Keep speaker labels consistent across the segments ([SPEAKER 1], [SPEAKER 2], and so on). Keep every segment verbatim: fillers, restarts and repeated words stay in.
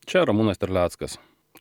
[SPEAKER 1] Čia Ramūnas Terleckas,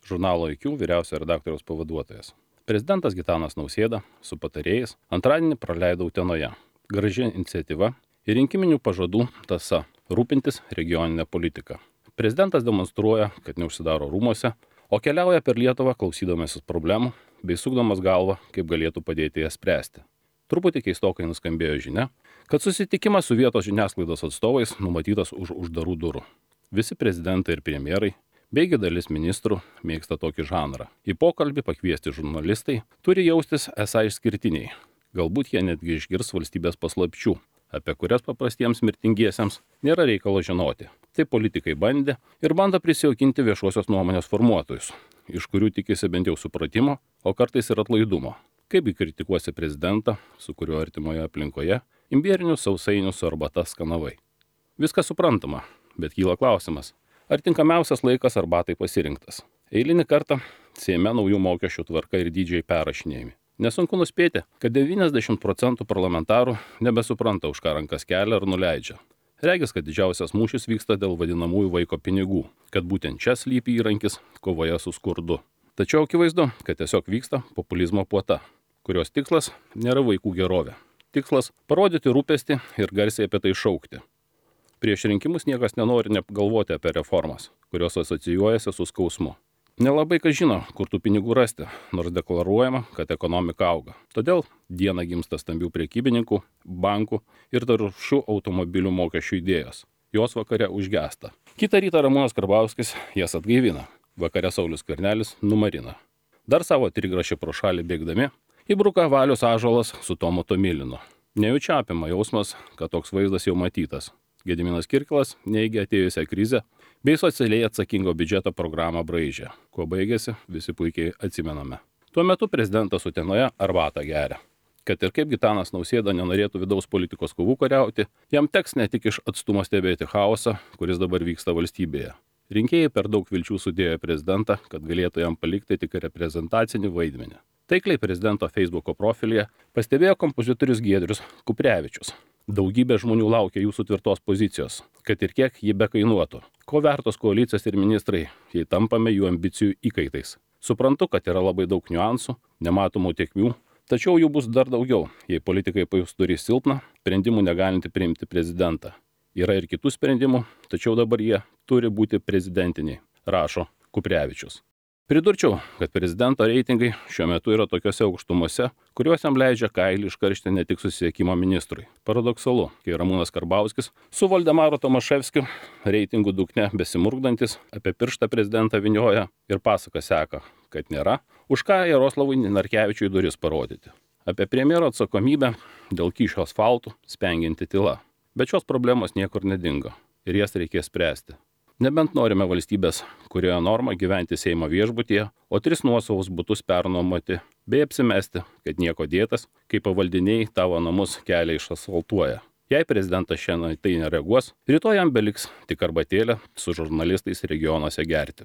[SPEAKER 1] žurnalo I Q vyriausiojo redaktoriaus pavaduotojas. Prezidentas Gitanas Nausėda su patarėjais antradienį praleido Utenoje. Graži iniciatyva ir rinkiminių pažadų tąsa - rūpintis regioninę politiką. Prezidentas demonstruoja, kad neužsidaro rūmuose, o keliauja per Lietuvą klausydamasis problemų bei sukdamas galvą, kaip galėtų padėti jas spręsti. Truputį keistokai nuskambėjo žinia, kad susitikimas su vietos žiniasklaidos atstovais numatytas už uždarų durų. Visi prezidentai ir premjerai beigi dalis ministrų mėgsta tokį žanrą. Į pokalbį pakviesti žurnalistai turi jaustis esą išskirtiniai. Galbūt jie netgi išgirs valstybės paslapčių, apie kurias paprastiems mirtingiesiems nėra reikalo žinoti. Tai politikai bandė ir bando prisijaukinti viešosios nuomonės formuotojus, iš kurių tikisi bent jau supratimo, o kartais ir atlaidumo. Kaipgi kritikuosi prezidentą, su kuriuo artimoje aplinkoje imbierinius sausainius su arbata skanavai. Viskas suprantama, bet kyla klausimas. Ar tinkamiausias laikas arbatai pasirinktas? Eilinį kartą Seime naujų mokesčių tvarka ir dydžiai perrašinėjami. Nesunku nuspėti, kad devyniasdešimt procentų parlamentarų nebesupranta, už ką rankas kelia ar nuleidžia. Regis, kad didžiausias mūšis vyksta dėl vadinamųjų vaiko pinigų, kad būtent čia slypi įrankis kovoje su skurdu. Tačiau akivaizdu, kad tiesiog vyksta populizmo puota, kurios tikslas nėra vaikų gerovė. Tikslas - parodyti rūpestį ir garsiai apie tai šaukti. Prieš rinkimus niekas nenori net galvoti apie reformas, kurios asocijuojasi su skausmu. Nelabai kas žino, kur tų pinigų rasti, nors deklaruojama, kad ekonomika auga. Todėl dieną gimsta stambių prekybininkų, bankų ir taršių automobilių mokesčių idėjos. Jos vakare užgesta. Kitą rytą Ramūnas Karbauskis jas atgaivina. Vakare Saulius Skvernelis numarina. Dar savo trigrašį pro šalį bėgdami įbruka Valius Ąžuolas su Tomu Tomilinu. Nejučia apima jausmas, kad toks vaizdas jau matytas. Gediminas Kirkilas neigia atėjusią krizę bei socialiai atsakingo biudžeto programą braižė. Kuo baigėsi, visi puikiai atsimename. Tuo metu prezidentas Utenoje arbatą geria. Kad ir kaip Gitanas Nausėda nenorėtų vidaus politikos kovų kariauti, jam teks ne tik iš atstumo stebėti chaosą, kuris dabar vyksta valstybėje. Rinkėjai per daug vilčių sudėjo prezidentą, kad galėtų jam palikti tik reprezentacinį vaidmenį. Taikliai prezidento Facebooko profilyje pastebėjo kompozitorius Giedrius Kuprevičius. Daugybė žmonių laukia jūsų tvirtos pozicijos, kad ir kiek ji bekainuotų. Ko vertos koalicijos ir ministrai, jei tampame jų ambicijų įkaitais. Suprantu, kad yra labai daug niuansų, nematomų tiekmių, tačiau jų bus dar daugiau, jei politikai pajus turi silpną, sprendimų negalinti priimti prezidentą. Yra ir kitų sprendimų, tačiau dabar jie turi būti prezidentiniai, rašo Kuprevičius. Pridurčiau, kad prezidento reitingai šiuo metu yra tokiose aukštumose, kuriuos jam leidžia kailį iškaršti ne tik susisiekimo ministrui. Paradoksalu, kai Ramūnas Karbauskis su Valdemaru Tomaševskiu reitingų dugne besimurkdantis apie pirštą prezidentą vynioja ir pasaka seka, kad nėra, už ką Jaroslavui Narkevičiui duris parodyti. Apie premjero atsakomybę dėl kyšio asfaltų spengianti tyla. Bet šios problemos niekur nedingo ir jas reikės spręsti. Nebent norime valstybės, kurioje norma gyventi Seimo viešbutyje, o tris nuosavus butus pernuomoti, bei apsimesti, kad nieko dėtas, kai pavaldiniai tavo namus kelią išasfaltuoja. Jei prezidentas šiandien tai nereaguos, rytoj jam beliks tik arbatėlę su žurnalistais regionuose gerti.